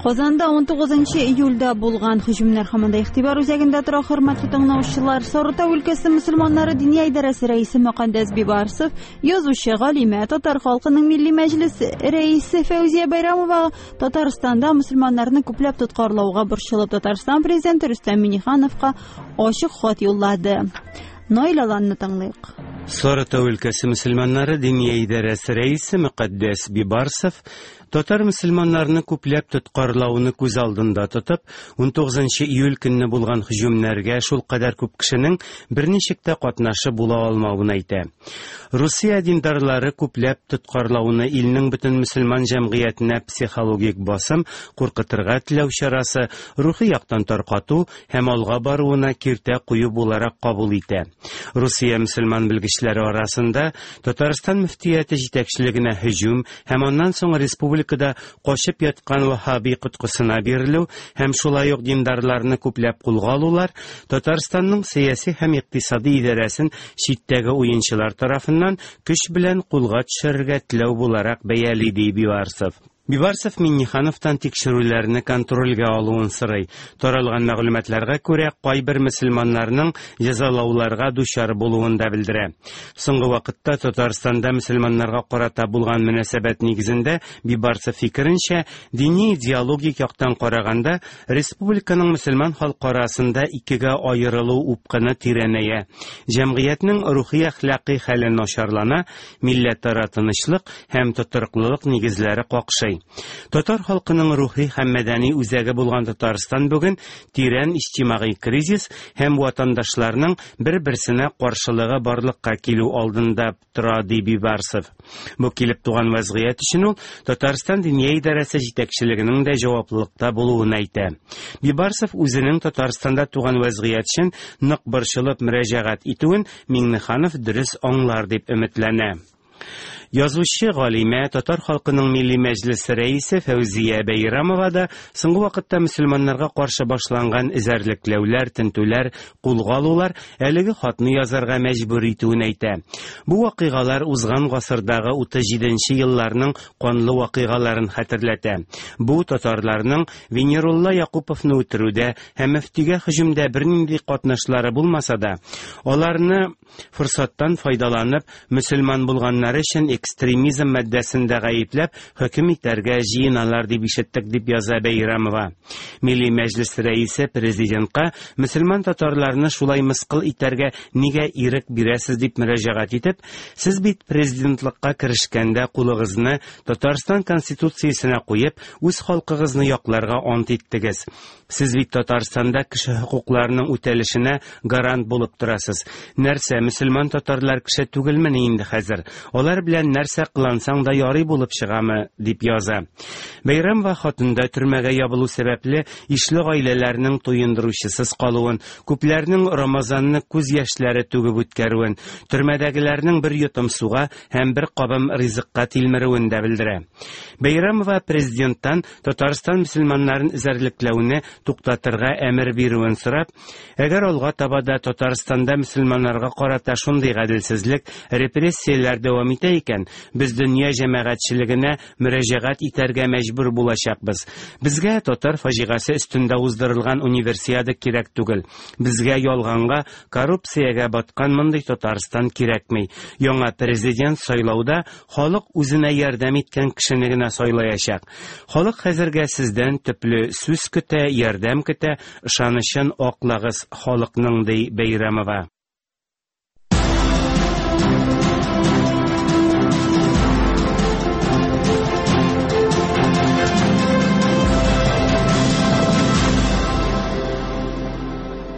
Казанда 19 июльдә булган һөҗүмнәр һаман да игътибар үзәгендә тора, хөрмәтле тыңлаучылар. Сарытау өлкәсе мөселманнары Диния идарәсе рәисе Мөкаддәс Бибарсов, язучы, галимә, татар халкының Милли мәҗлес рәисе Фәүзия Бәйрәмова Татарстанда мөселманнарны күпләп тоткарлауга борчылып Татарстан президенты Рөстәм Миңнехановка ачык хат юллады. Наил Аланны тыңлыйк. Сарытау өлкәсе мөселманнары Диния идарәсе рәисе Мөкаддәс Бибарсов Татар мөселманнарны күпләп тоткарлауны күз алдында тотып, 19 июль көнне булган һөҗүмнәргә шулкадәр күп кешенең берничек тә катнашы була алмавын әйтә. Русия диндарлары күпләп тоткарлауны илнең бөтен мөселман җәмгыятенә психологик басым, куркытырга теләү чарасы, рухи яктан таркату һәм алга баруына киртә кую буларак кабул итә. Русия мөселман белгечләре арасында Татарстан мөфтияте җитәкчелегенә һөҗүм һәм аннан соң республикада качып яткан ваһһаби коткысына бирелү һәм шулай ук диндарларны күпләп кулга алулар Татарстанның сәяси һәм икътисади идарәсен читтәге уенчылар тарафыннан көч белән кулга төшерергә теләү буларак бәяли, ди Бибарсов. Бибарсов Миңнехановтан тикшерүләрне контрольгә алуын сорый. Таралган мәгълүматларга күрә, кайбер мөселманнарның җәзалауларга дучар булуын да белдерә. Соңгы вакытта Татарстанда мөселманнарга карата булган мөнәсәбәт нигезендә, Бибарсов фикеренчә, дини идеологик яктан караганда, республиканың мөселман халкы арасында икегә аерылу упкыны тирәнәя, җәмгыятьнең рухи-әхлакый хәле начарлана, милләтара тынычлык һәм тотрыклылык нигезләре какшый. Татар халкының рухи һәм мәдәни үзәге булган Татарстан бүген тирән иҗтимагый кризис һәм ватандашларның бер-берсенә каршылыгы барлыкка килү алдында тора, ди Бибарсов. Бу килеп туган вәзгыять өчен ул Татарстан Диния идарәсе җитәкчелегенең дә җаваплылыкта булуын әйтә. Бибарсов үзенең Татарстанда туган вәзгыять өчен нык борчылып мөрәҗәгать итүен Миңнеханов дөрес аңлар дип өметләнә. Язучы, галимә, татар халкының Милли мәҗлесе рәисе Фәүзия Бәйрамова да соңгы вакытта мөселманнарга каршы башланган эзәрлекләүләр, тентүләр, кулга алулар әлеге хатны язарга мәҗбүр итүен әйтә. Бу вакыйгалар узган гасырдагы 37 нче елларның канлы вакыйгаларын хәтерләтә. Бу татарларның Венерулла Якуповны үтерүдә һәм мөфтигә һөҗүмдә бернинди катнашлары булмаса да, аларны форсаттан файдаланып, мөселман булганнары өчен экстремизм маддәсендә гаепләп, хөкем итәргә җыеналар дип ишеттек, дип яза Бәйрәмова. Милли Мәҗлес рәисе президентка мөселман татарларны шулай мыскыл итәргә нигә ирек бирәсез дип мөрәҗәгать итеп, сез бит президентлыкка керешкәндә кулыгызны Татарстан Конституциясенә куеп, үз халкыгызны якларга ант иттегез. Сез бит Татарстанда кеше хокукларының үтәлешенә гарант булып торасыз. Нәрсә, мөселман татарлар кеше түгелмени инде хәзер? Алар белән нәрсә кылансаң да ярый булып чыгамы? дип яза. Бәйрәмова хатында төрмәгә ябылу сәбәпле ишле гаиләләрнең туендыручысыз калуын, күпләрнең Рамазанны күз яшьләре түгеп үткәрүен, төрмәдәгеләрнең бер йотым суга һәм бер кабым ризыкка тилмерүен дә белдерә. Бәйрәмова президенттан Татарстан мөселманнарын эзәрлекләүне туктатырга әмер бирүен сорап, әгәр алга таба да Татарстанда мөселманнарга карата шундый гаделсезлек, репрессияләр дәвам итә икән, без дөнья җәмәгатьчелегенә мөрәҗәгать итәргә мәҗбүр булачакбыз. Безгә татар фаҗигасе өстендә уздырылган универсиада кирәк түгел. Безгә ялганга, коррупциягә баткан мондый Татарстан кирәкми. Яңа президент сайлауда Халык үзенә ярдәм иткән кешене генә сайлаячак. Халык хәзергә сездән төпле сүз көтә, ярдәм көтә, ышанычын аклагыз халыкның, ди Бәйрәмова.